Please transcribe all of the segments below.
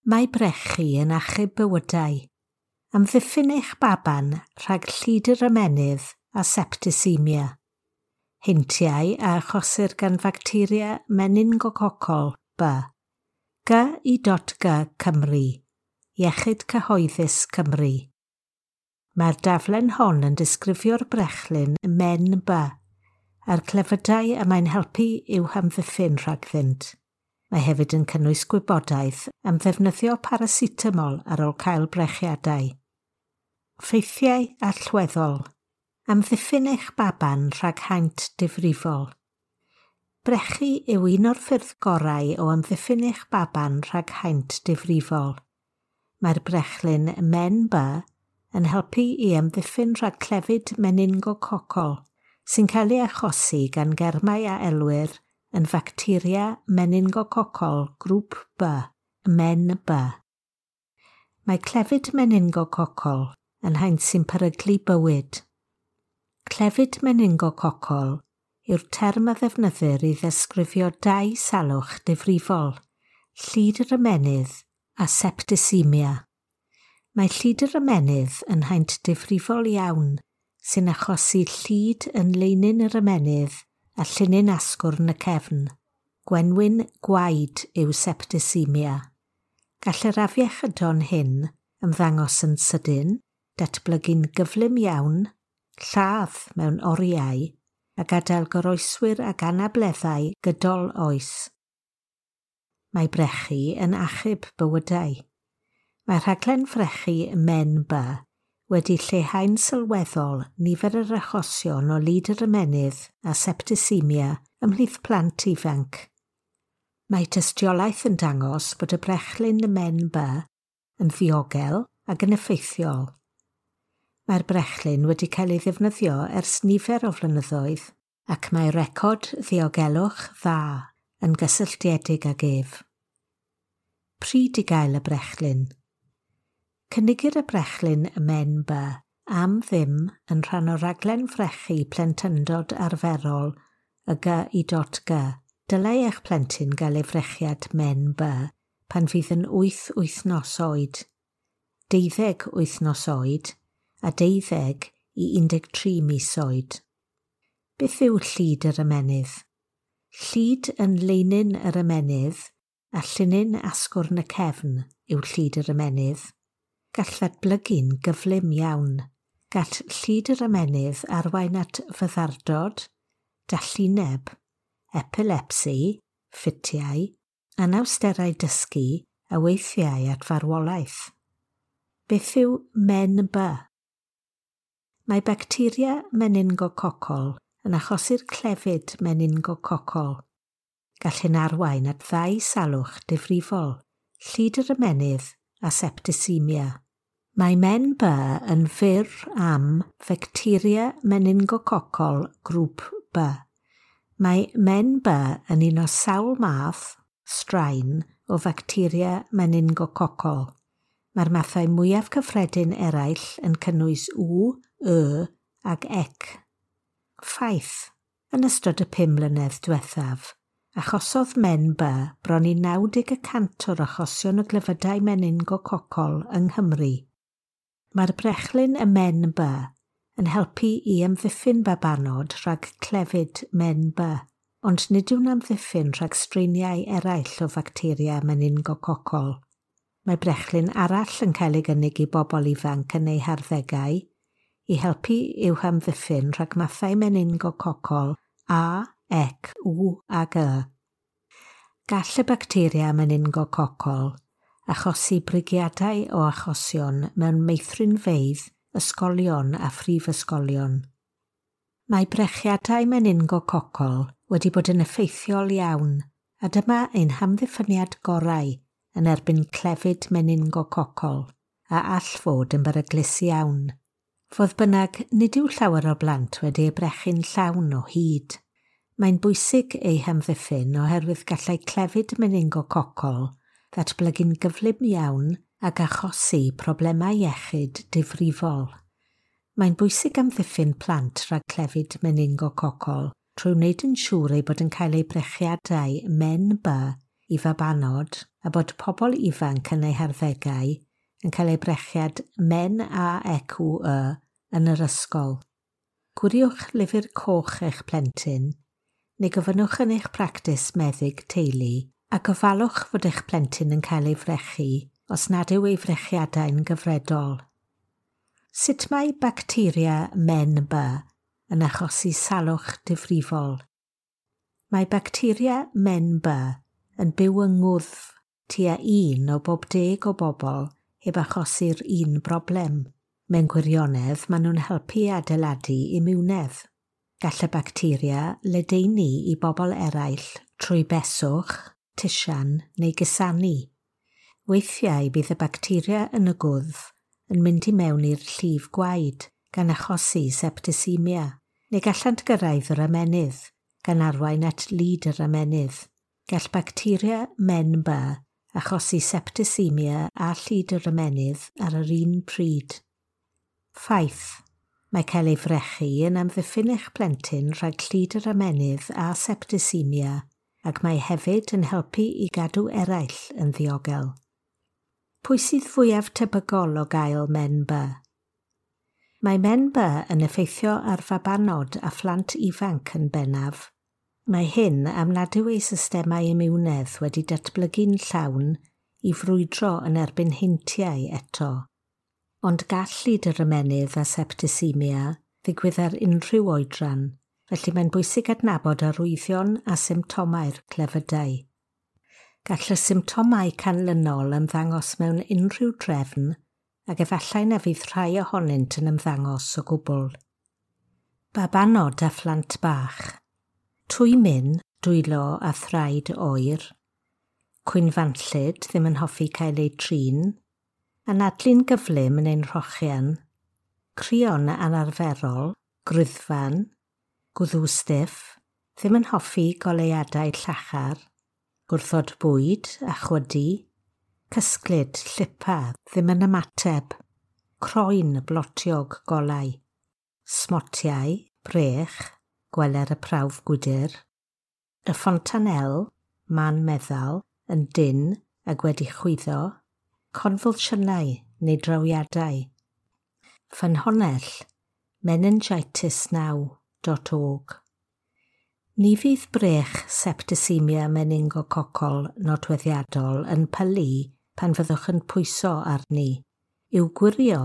Mae brechu yn achub bywydau. Amddiffyn eich baban rhag llid yr ymennydd a septisemia. Heintiau a achosir gan facteria meningococol B. G.I.G Cymru. Iechyd Cyhoeddus Cymru. Mae'r daflen hon yn disgrifio'r brechlyn Men B a'r clefydau y mae'n helpu i'w hamddiffyn rhagddynt. Mae hefyd yn cynnwys gwybodaeth am ddefnyddio paracetamol ar ôl cael brechiadau. Ffeithiau allweddol. Amddiffyn eich baban rhag haint difrifol. Brechu yw un o'r ffyrdd gorau o amddiffyn eich baban rhag haint difrifol. Mae'r brechlyn Men B yn helpu i amddiffyn rhag clefyd meningococol sy'n cael ei achosi gan germau a elwir yn facteria meningococol grŵp B, Men B. Mae clefyd meningococol yn haint sy'n peryglu bywyd. Clefyd meningococol yw'r term a ddefnyddir i ddisgrifio dau salwch difrifol, llid yr ymennydd a septisemia. Mae llid yr ymennydd yn haint difrifol iawn sy'n achosi llid yn leinin yr ymennydd a llinyn asgwrn y cefn. Gwenwyn gwaed yw septisemia. Gall yr afiechydon hyn ymddangos yn sydyn, datblygu'n gyflym iawn, lladd mewn oriau a gadael goroeswyr ag anableddau gydol oes. Mae brechu yn achub bywydau. Mae rhaglen frechu Men B wedi lleihau'n sylweddol nifer yr achosion o lid yr ymennydd a septisemia ymhlith plant ifanc. Mae tystiolaeth yn dangos bod y brechlyn Men B yn ddiogel ac yn effeithiol. Mae'r brechlyn wedi cael ei ddefnyddio ers nifer o flynyddoedd ac mae record ddiogelwch dda yn gysylltiedig ag ef. Pryd i gael y brechlyn? Cynigir y brechlyn Men B am ddim yn rhan o raglen frechu plentyndod arferol y G.I.G. Dylai eich plentyn gael ei frechiad Men B pan fydd yn 8 wythnos oed, 12 wythnos oed a 12 i 13 mis oed. Beth yw llid yr ymennydd? Llid yn leinin yr ymennydd a llinyn asgwrn y cefn yw llid yr ymennydd. Gall ddatblygu'n gyflym iawn. Gall llid yr ymennydd arwain at fyddardod, dallineb, epilepsi, ffitiau, anawsterau dysgu a weithiau at farwolaeth. Beth yw Men B? Mae bacteria meningococol yn achosi'r clefyd meningococol. Gall hyn arwain at ddau salwch difrifol, llid yr ymennydd a septisemia. Mae Men B yn fyr am facteria meningococol grŵp B. Mae Men B yn un o sawl math, straen, o facteria meningococol. Mae'r mathau mwyaf cyffredin eraill yn cynnwys W, Y ac Ec. Ffaith. Yn ystod y 5 mlynedd diwethaf, achosodd Men B bron i 90% o'r achosion o glefydau meningococol yng Nghymru. Mae'r brechlyn y Men B yn helpu i amddiffyn babanod rhag clefyd Men B, ond nid yw'n amddiffyn rhag straeniau eraill o facteria meningococol. Mae brechlyn arall yn cael ei gynnig i bobl ifanc yn eu harddegau i helpu i'w hamddiffyn rhag mathau meningococol A, Ec, W a G. Gall y bacteria meningococol achosi brigiadau o achosion mewn meithrinfeydd, ysgolion a phrifysgolion. Mae brechiadau meningococol wedi bod yn effeithiol iawn, a dyma ein hamddiffyniad gorau yn erbyn clefyd meningococol, a all fod yn beryglus iawn. Fodd bynnag, nid yw llawer o blant wedi eu brechu'n llawn o hyd. Mae'n bwysig eu hamddiffyn oherwydd gallai clefyd meningococol ddatblygu'n gyflym iawn ac achosi problemau iechyd difrifol. Mae'n bwysig amddiffyn plant rhag clefyd meningococol trwy wneud yn siŵr eu bod yn cael eu brechiadau Men B i fabanod a bod pobl ifanc yn eu harddegau yn cael eu brechiad Men A E Q Y yn yr ysgol. Gwiriwch lyfr coch eich plentyn, neu gofynnwch yn eich practis meddyg teulu a gofalwch fod eich plentyn yn cael ei frechu os nad yw ei frechiadau'n gyfredol. Sut mae bacteria Men B yn achosi salwch difrifol? Mae bacteria Men B yn byw yng ngwddf tua 1 o bob 10 o bobl heb achosi'r un broblem. Mewn gwirionedd, maen nhw'n helpu adeiladu imiwnedd. Gall y bacteria ledaenu i bobl eraill trwy beswch, tisian neu gusanu. Weithiau bydd y bacteria yn y gwddf yn mynd i mewn i'r llif gwaed gan achosi septicemia, neu gallant gyrraedd yr ymennydd, gan arwain at lid yr ymennydd. Gall bacteria Men B achosi septicemia a llid yr ymennydd ar yr un pryd. Ffaith. Mae cael ei frechu yn amddiffyn eich plentyn rhag llid yr ymennydd a septicemia, ac mae hefyd yn helpu i gadw eraill yn ddiogel. Pwy sydd fwyaf tebygol o gael Men B? Mae Men B yn effeithio ar fabanod a phlant ifanc yn bennaf. Mae hyn am nad yw eu systemau imiwnedd wedi datblygu'n llawn i frwydro yn erbyn heintiau eto. Ond gall llid yr ymennydd a septicemia ddigwydd ar unrhyw oedran, felly mae'n bwysig adnabod arwyddion a symptomau'r clefydau. Gall y symptomau canlynol ymddangos mewn unrhyw drefn ac efallai na fydd rhai ohonynt yn ymddangos o gwbl. Babanod a phlant bach. Twymyn, dwylo a thraed oer. Cwynfanllyd ddim yn hoffi cael eu trin. Anadlu'n gyflym yn ein rhochian. Crion anarferol, gruddfan, gwddw stiff, ddim yn hoffi goleuadau llachar, gwrthod bwyd a chwydu, cysglyd, llipa, ddim yn ymateb, croen blotiog golau, smotiau, brech, gweler y prawf gwydr, y fontanel, man meddal, yn dynn ac wedi chwyddo, convulsiynau neu drawiadau. Ffynhonnell meningitisnow.org. Ni fydd brech septicemia meningococol nodweddiadol yn pylu pan fyddwch yn pwyso arni. I'w gwirio,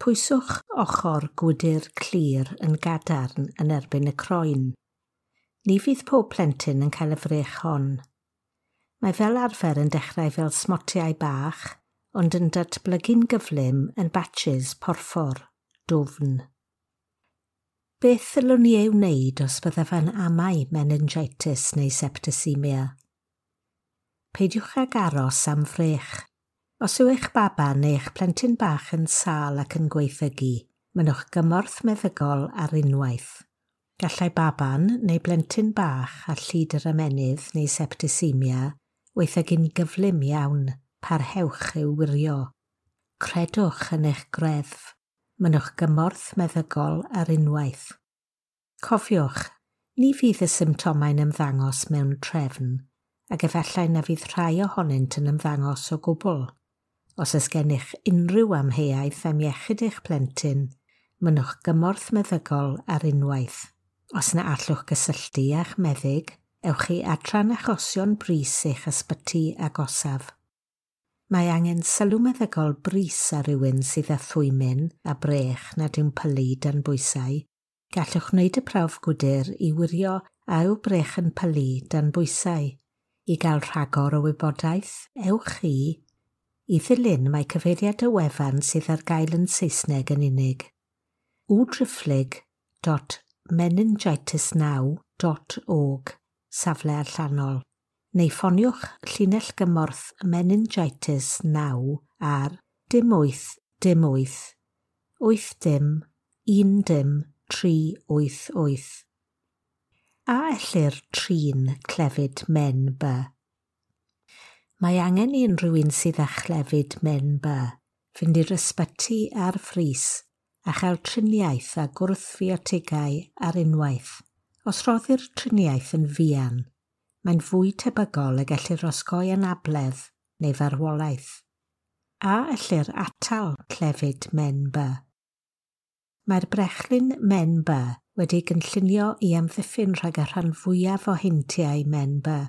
pwyswch ochr gwydr clir yn gadarn yn erbyn y croen. Ni fydd pob plentyn yn cael y frech hon. Mae fel arfer yn dechrau fel smotiau bach, ond yn datblygu'n gyflym yn batches porffor, dwfn. Beth ddylwn ni ei wneud os byddaf yn amau meningitis neu septicemia? Peidiwch ag aros am frech. Os yw eich baban neu eich plentyn bach yn sâl ac yn gwaethygu, mynnwch gymorth meddygol ar unwaith. Gallai baban neu blentyn bach â llid yr ymennydd neu septicemia waethygu'n gyflym iawn, parhewch i'w wirio. Credwch yn eich greddf. Mynnwch gymorth meddygol ar unwaith. Cofiwch, ni fydd y symptomau'n ymddangos mewn trefn, ac efallai na fydd rhai ohonynt yn ymddangos o gwbl. Os oes gennych unrhyw amheuaeth am iechyd eich plentyn, mynnwch gymorth meddygol ar unwaith. Os na allwch gysylltu â'ch meddyg, ewch i adran achosion brys eich ysbyty agosaf. Mae angen sylw meddygol brys ar rywun sydd â thwymyn a brech nad yw'n pylu dan bwysau. Gallwch wneud y prawf gwydr i wirio a yw brech yn pylu dan bwysau. I gael rhagor o wybodaeth, ewch i ddilyn mae cyfeiriad y wefan sydd ar gael yn Saesneg yn unig. www.meningitisnow.org, safle allanol. Neu ffoniwch llinell gymorth Meningitis Now ar 0 8 0 8 8 0 1 0 3 8 8. A ellir trin clefyd Men B? Mae angen i unrhyw un sydd â chlefyd Men B fynd i'r ysbyty ar frys a chael triniaeth a gwrthfiotigau ar unwaith. Os rhoddir triniaeth yn fuan, mae'n fwy tebygol y gellir osgoi anabledd neu farwolaeth. A ellir atal clefyd Men B? Mae'r brechlyn Men B wedi gynllunio i amddiffyn rhag y rhan fwyaf o heintiau Men B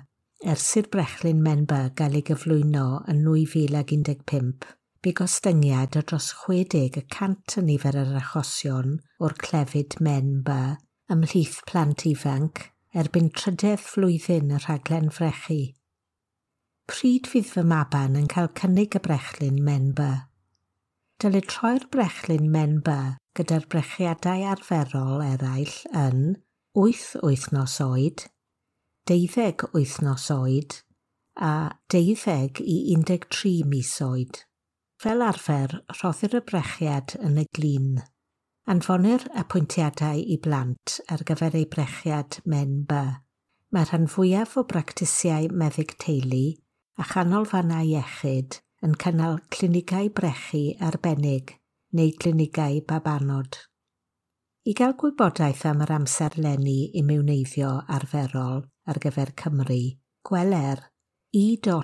ers i'r brechlyn Men B gael ei gyflwyno yn 2015. Bu gostyngiad o dros 60% yn nifer yr achosion o'r clefyd Men B ymhlith plant ifanc erbyn trydedd flwyddyn y rhaglen frechu. Pryd fydd fy maban yn cael cynnig y brechlyn Men B? Dylid troi'r brechlyn Men B gyda'r brechiadau arferol eraill yn 8 wythnos oed, 12 wythnos oed a 12 i 13 mis oed. Fel arfer, rhoddir y brechiad yn y glin. Anfonir apwyntiadau i blant ar gyfer eu brechiad Men B. Mae rhan fwyaf o bractisiau meddyg teulu a chanolfannau iechyd yn cynnal clinigau brechu arbennig neu glinigau babanod. I gael gwybodaeth am yr amserlenni imiwneiddio arferol ar gyfer Cymru, gweler e.ec.gi.g.cymru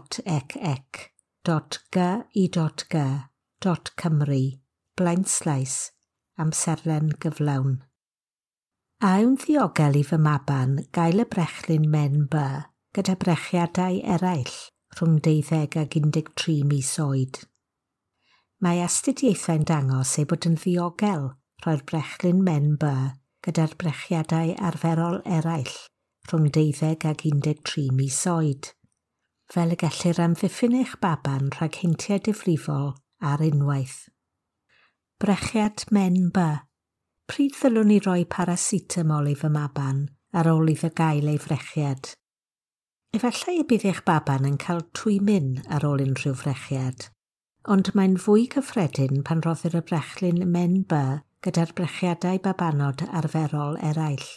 blaenslaes amserlen gyflawn. A yw'n ddiogel i fy maban gael y brechlyn Men B gyda brechiadau eraill rhwng 12 ag 13 mis oed? Mae astudiaethau'n dangos ei bod yn ddiogel rhoi'r brechlyn Men B gyda'r brechiadau arferol eraill rhwng 12 ag 13 mis oed, fel y gellir amddiffyn eich baban rhag heintiau difrifol ar unwaith. Brechiad Men B. Pryd ddylwn i roi paracetamol i fy maban ar ôl iddo gael ei frechiad? Efallai y bydd eich baban yn cael twymyn ar ôl unrhyw frechiad, ond mae'n fwy cyffredin pan roddir y brechlyn Men B gyda'r brechiadau babanod arferol eraill.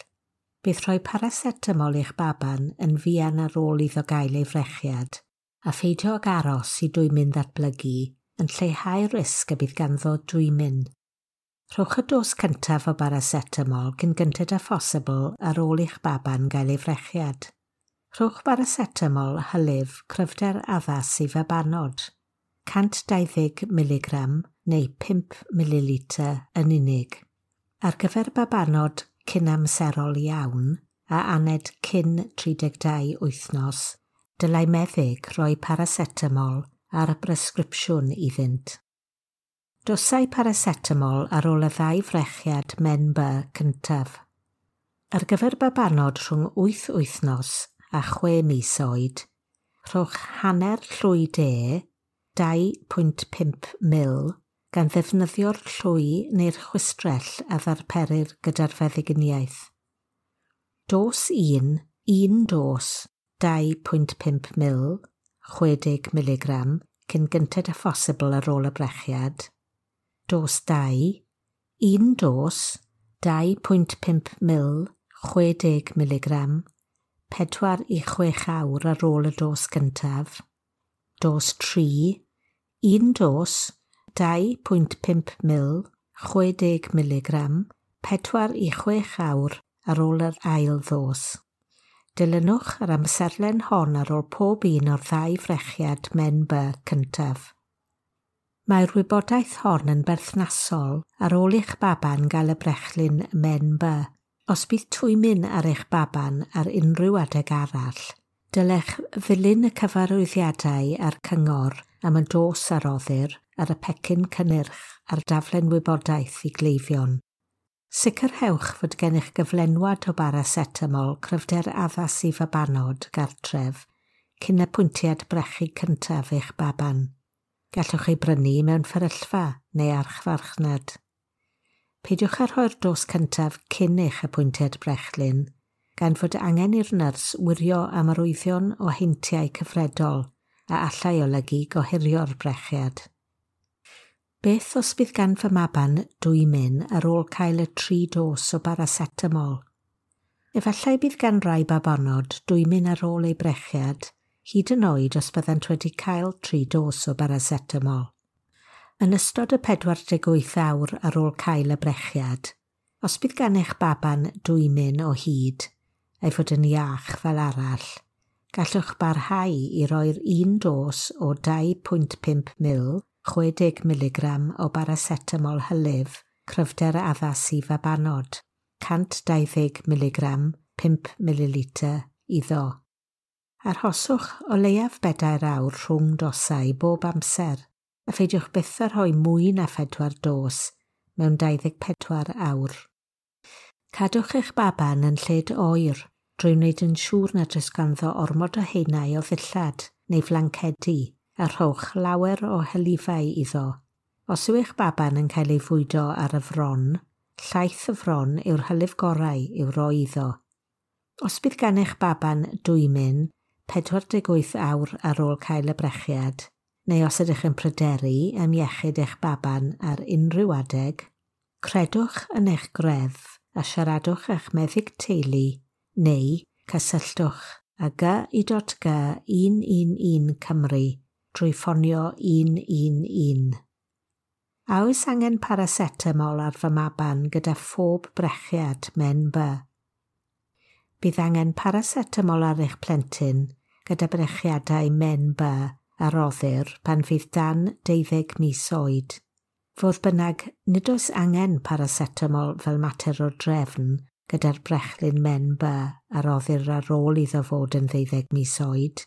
Bydd rhoi paracetamol i'ch baban yn fuan ar ôl iddo gael ei frechiad, a pheidio ag aros i dwymyn ddatblygu yn lleihau'r risg y bydd ganddo dwymyn. Rhowch y dos cyntaf o baracetamol cyn gynted â phosibl ar ôl i'ch baban gael ei frechiad. Rhowch baracetamol hylif cryfder addas i fabanod, 120 mg neu 5 ml yn unig. Ar gyfer babanod cynamserol iawn a aned cyn 32 wythnos, dylai meddyg roi paracetamol ar bresgripsiwn iddynt. Dosau paracetamol ar ôl y ddau frechiad Men B cyntaf. Ar gyfer babanod rhwng 8 wythnos a 6 mis oed, rhowch hanner llwy de, 2.5 ml, gan ddefnyddio'r llwy neu'r chwistrell a ddarperir gyda'r feddyginiaeth. Dos 1, 1 dos, 2.5 ml, 60 mg, cyn gynted â phosibl ar ôl y brechiad. Dos 2, 1 dos, 2.5 ml, 60 mg, 4 i 6 awr ar ôl y dos gyntaf. Dos 3, 1 dos, 2.5 ml, 60 mg, 4 i 6 awr ar ôl yr ail ddos. Dilynwch yr amserlen hon ar ôl pob un o'r ddau frechiad Men B cyntaf. Mae'r wybodaeth hon yn berthnasol ar ôl i'ch baban gael y brechlyn Men B. Os bydd twymyn ar eich baban ar unrhyw adeg arall, dylech ddilyn y cyfarwyddiadau a'r cyngor am y dos a roddir ar y pecyn cynnyrch a'r daflen wybodaeth i gleifion. Sicrhewch fod gennych gyflenwad o baracetamol cryfder addas i fabanod gartref cyn apwyntiad brechu cyntaf eich baban. Gallwch ei brynu mewn fferyllfa neu archfarchnad. Peidiwch â rhoi'r dos cyntaf cyn eich apwyntiad brechlyn, gan fod angen i'r nyrs wirio am arwyddion o heintiau cyfredol a allai olygu gohirio'r brechiad. Beth os bydd gan fy maban dwymyn ar ôl cael y 3 dos o baracetamol? Efallai bydd gan rai babanod dwymyn ar ôl eu brechiad, hyd yn oed os byddant wedi cael 3 dos o baracetamol. Yn ystod y 48 awr ar ôl cael y brechiad, os bydd gan eich baban dwymyn o hyd, ei fod yn iach fel arall, Gallwch barhau i roi'r un dos o 2.5 ml, 60 mg o baracetamol hylif, cryfder addas i fabanod, 120 mg, 5 ml iddo. Arhoswch o leiaf 4 awr rhwng dosau bob amser, a pheidiwch byth â rhoi mwy na 4 dos mewn 24 awr. Cadwch eich baban yn lled oer drwy wneud yn siŵr nad oes ganddo ormod o haenau o ddillad neu flancedi a rhowch lawer o hylifau iddo. Os yw eich baban yn cael ei fwydo ar y fron, llaeth y fron yw'r hylif gorau i'w roi iddo. Os bydd gan eich baban dwymyn 48 awr ar ôl cael y brechiad, neu os ydych yn pryderu am iechyd eich baban ar unrhyw adeg, credwch yn eich greddf a siaradwch â'ch meddyg teulu neu cysylltwch â GI.G 111 Cymru drwy ffonio 111. A oes angen paracetamol ar fy maban gyda phob brechiad Men B? Bydd angen paracetamol ar eich plentyn gyda brechiadau Men B a roddir pan fydd dan 12 mis oed. Fodd bynnag, nid oes angen paracetamol fel mater o drefn gyda'r brechlyn Men B a roddir ar ôl iddo fod yn 12 mis oed.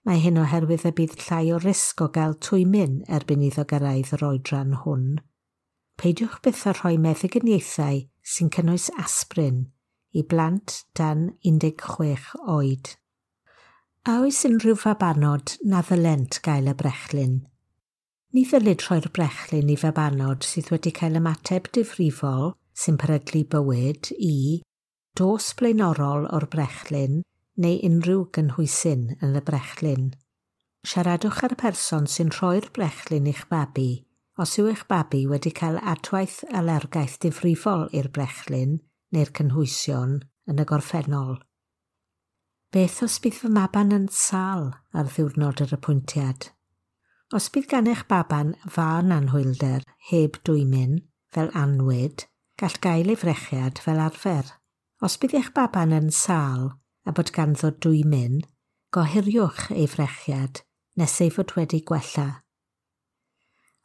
Mae hyn oherwydd y bydd llai o risg o gael twymyn erbyn iddo gyrraedd yr oedran hwn. Peidiwch byth â rhoi meddyginiaethau sy'n cynnwys aspirin i blant dan 16 oed. A oes unrhyw fabanod na ddylent gael y brechlyn? Ni ddylid rhoi'r brechlyn i fabanod sydd wedi cael ymateb difrifol sy'n peryglu bywyd i dos blaenorol o'r brechlyn neu unrhyw gynhwysyn yn y brechlyn. Siaradwch â'r person sy'n rhoi'r brechlyn i'ch babi os yw eich babi wedi cael adwaith alergaeth difrifol i'r brechlyn neu'r cynhwysion yn y gorffennol. Beth os bydd fy maban yn sâl ar ddiwrnod yr apwyntiad? Os bydd gan eich baban fân anhwylder heb dwymyn, fel anwyd, gall gael ei frechiad fel arfer. Os bydd eich baban yn sâl a bod ganddo dwymyn, gohiriwch ei frechiad nes ei fod wedi gwella.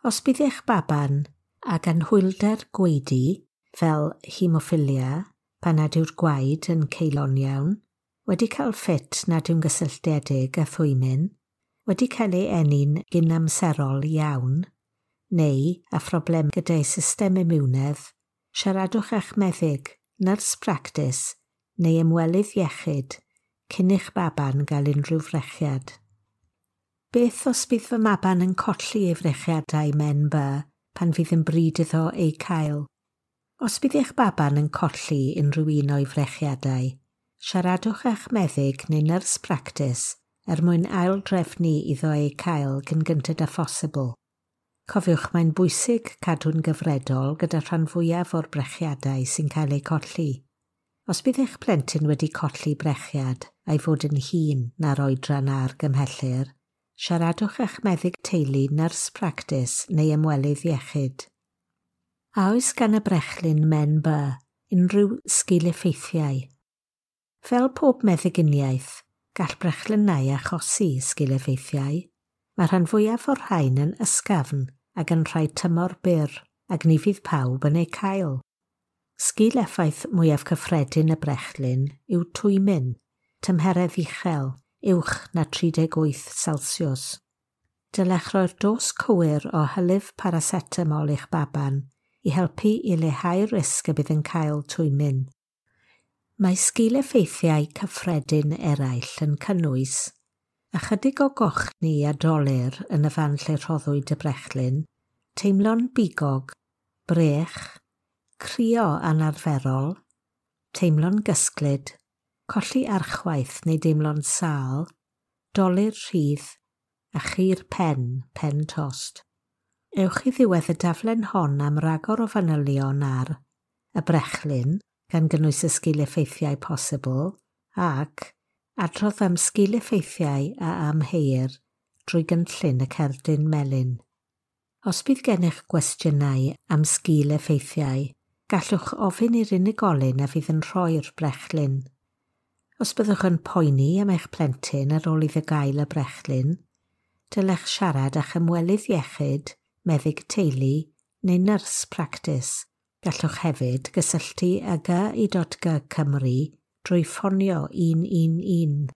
Os bydd eich baban ag anhwylder gwaedu, fel hemoffilia, pan nad yw'r gwaed yn ceulo'n iawn, wedi cael ffit nad yw'n gysylltiedig â thwymyn, wedi cael ei eni'n gynamserol iawn, neu â phroblem gyda'i system imiwnedd, siaradwch â'ch meddyg, nyrs practis neu ymwelydd iechyd cyn i'ch baban gael unrhyw frechiad. Beth os bydd fy maban yn colli ei frechiadau Men B pan fydd yn bryd iddo eu cael? Os bydd eich baban yn colli unrhyw un o'i frechiadau, siaradwch â'ch meddyg neu nyrs practis er mwyn aildrefnu iddo eu cael cyn gynted â phosibl. Cofiwch mae'n bwysig cadw'n gyfredol gyda rhan fwyaf o'r brechiadau sy'n cael eu colli. Os bydd eich plentyn wedi colli brechiad a'i fod yn hŷn na'r oedran a argymhellir, siaradwch â'ch meddyg teulu, nyrs practis neu ymwelydd iechyd. A oes gan y brechlyn Men B unrhyw sgil-effeithiau? Fel pob meddyginiaeth, gall brechlynnau achosi sgil-effeithiau. Mae rhan fwyaf o'r rhain yn ysgafn ac yn rhai tymor byr, ac ni fydd pawb yn eu cael. Sgil-effaith mwyaf cyffredin y brechlyn yw twymyn, tymheredd uchel, uwch na 38 Celsius. Dylech roi'r dos cywir o hylif paracetamol i'ch baban i helpu i leihau'r risg y bydd yn cael twymyn. Mae sgil-effeithiau cyffredin eraill yn cynnwys ychydig o gochni a dolur yn y fan lle rhoddwyd y brechlyn, teimlo'n bigog, brech, crio anarferol, teimlo'n gysglyd, colli archwaith neu deimlo'n sâl, dolur rhydd a chur pen, pen tost. Ewch i ddiwedd y daflen hon am ragor o fanylion ar y brechlyn, gan gynnwys y sgil-effeithiau posibl, ac adrodd am sgil-effeithiau a amheuir drwy gynllun y cerdyn melyn. Os bydd gennych gwestiynau am sgil-effeithiau, gallwch ofyn i'r unigolyn a fydd yn rhoi'r brechlyn. Os byddwch yn poeni am eich plentyn ar ôl iddo gael y brechlyn, dylech siarad â'ch ymwelydd iechyd, meddyg teulu neu nyrs practis. Gallwch hefyd gysylltu â GI.G Cymru drwy ffonio 111.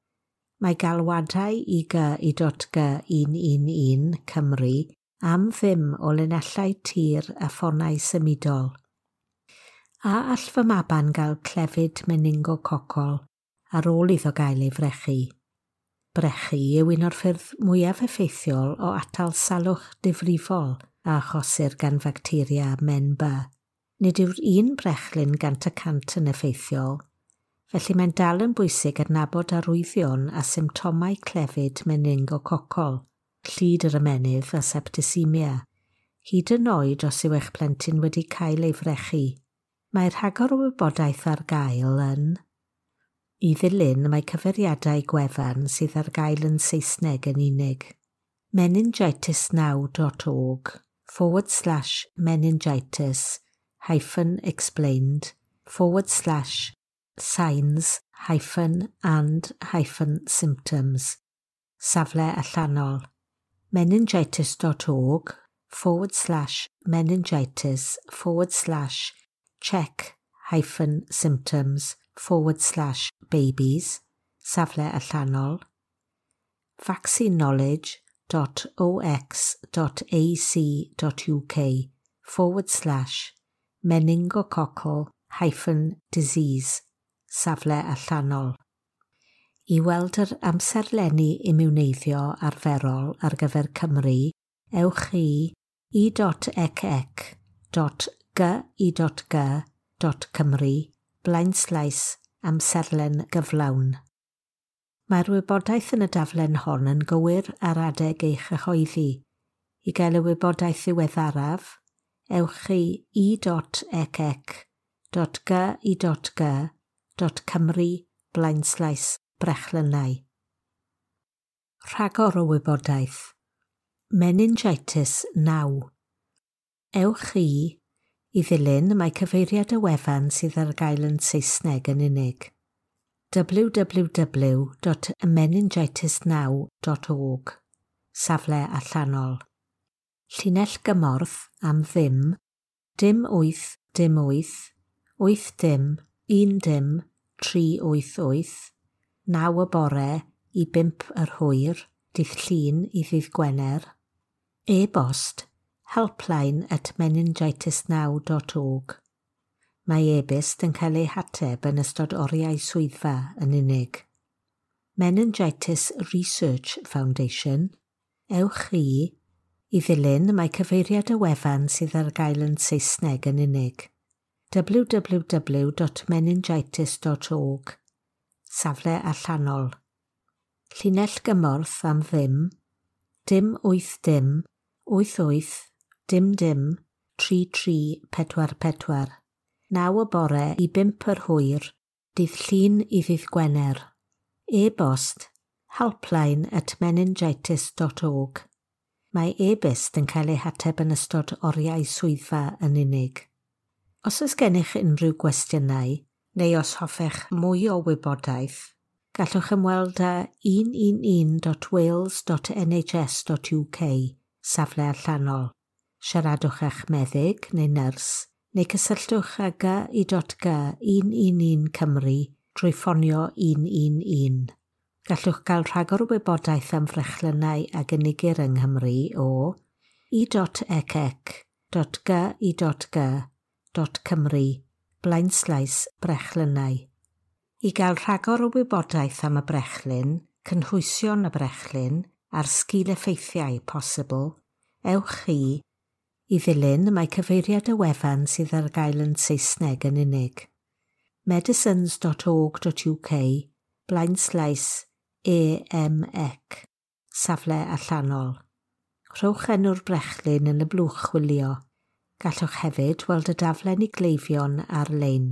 Mae galwadau i GI.G 111 Cymru am ddim o linellau tir a ffonau symudol. A all fy maban gael clefyd meningococol ar ôl iddo gael ei frechu? Brechu yw un o'r ffyrdd mwyaf effeithiol o atal salwch difrifol a achosir gan facteria men B. Nid yw'r un brechlyn 100% yn effeithiol, felly mae'n dal yn bwysig adnabod arwyddion a symptomau clefyd meningococol, llid yr ymennydd a septicemia, hyd yn oed os yw eich plentyn wedi cael ei frechu. Mae rhagor o wybodaeth ar gael yn. I ddilyn, mae cyfeiriadau gwefan sydd ar gael yn Saesneg yn unig: meningitisnow.org/meningitis-explained/signs-and-symptoms, safle allanol, meningitis.org/meningitis/check-symptoms/babies, safle allanol, vaccineknowledge.ox.ac.uk/meningococcal-disease, safle allanol. I weld yr amserlenni imiwneiddio arferol ar gyfer Cymru, ewch i e.ecc.gi.g.cymru/amserlen gyflawn. Mae'r wybodaeth yn y daflen hon yn gywir ar adeg ei chyhoeddi. I gael y wybodaeth ddiweddaraf, ewch i e.ecc.gi.g.cymru/brechlynnau. Rhagor o wybodaeth. Meningitis Now. Ewch i. I ddilyn, mae cyfeiriad y wefan sydd ar gael yn Saesneg yn unig: www.meningitisnow.org, safle allanol. Llinell gymorth am ddim 0 8 0 8 8 0 1 0 3 8 8, 9 y bore i 5 yr hwyr, dydd Llun i ddydd Gwener. E-bost helpline@meningitisnow.org. Mae e-byst yn cael ei hateb yn ystod oriau swyddfa yn unig. Meningitis Research Foundation. Ewch i. I ddilyn, mae cyfeiriad y wefan sydd ar gael yn Saesneg yn unig: www.meningitis.org, safle allanol. Llinell gymorth am ddim 0 8 0 8 8 0 0 3 3 4 4, 9 y bore i 5 yr hwyr, dydd Llun i ddydd Gwener. E-bost helpline@meningitis.org. Mae e-byst yn cael ei hateb yn ystod oriau swyddfa yn unig. Os oes gennych unrhyw gwestiynau, neu os hoffech mwy o wybodaeth, gallwch ymweld â 111.wales.nhs.uk, safle allanol. Siaradwch â'ch meddyg neu nyrs, neu cysylltwch â GI.G 111 Cymru drwy ffonio 111. Gallwch gael rhagor o wybodaeth am frechlynnau a gynigir yng Nghymru o e.ecc.gi.g.cymru/brechlynnau. I gael rhagor o wybodaeth am y brechlyn, cynhwysion y brechlyn a'r sgil-effeithiau posibl, ewch i. I ddilyn, mae cyfeiriad y wefan sydd ar gael yn Saesneg yn unig: medicines.org.uk/EMEC, safle allanol. Rhowch enw'r brechlyn yn y blwch chwilio. Gallwch hefyd weld y daflen i gleifion ar-lein.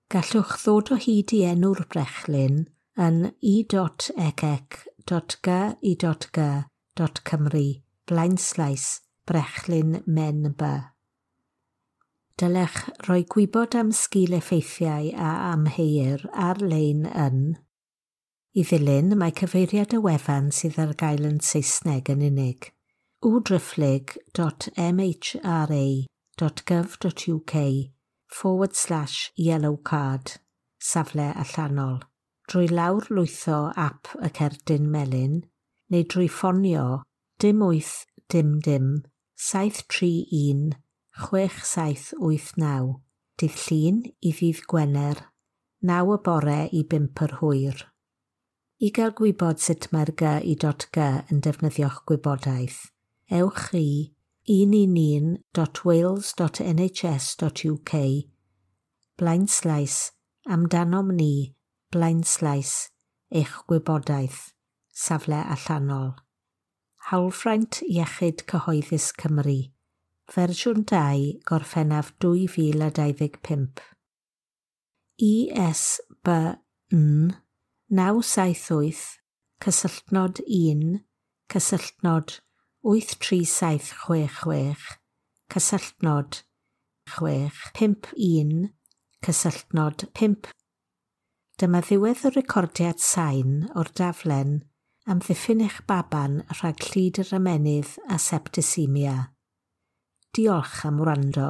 Gallwch ddod o hyd i enw'r brechlyn yn e.ecc.gi.g.cymru/brechlyn men B. Dylech roi gwybod am sgil-effeithiau a amheuir ar-lein yn I ddilyn, mae cyfeiriad y wefan sydd ar gael yn Saesneg yn unig: www.mhra.gov.uk/yellowcard, safle allanol, drwy lawr lwytho ap y cerdyn melyn neu drwy ffonio 0 8 0 0 731 6789, dydd Llun i ddydd Gwener, 9 y bore i 5 yr hwyr. I gael gwybod sut mae'r GI.G yn defnyddio'ch gwybodaeth, ewch i 111.wales.nhs.uk/amdanom ni/eich gwybodaeth, safle allanol. Hawlfraint Iechyd Cyhoeddus Cymru, fersiwn 2, Gorffennaf 2025. ISBN 978 cysylltnod 1 cysylltnod 83766 cysylltnod 651 cysylltnod 5. Dyma ddiwedd y recordiad sain o'r daflen Amddiffyn eich baban rhag llid yr ymennydd a septisemia. Diolch am wrando.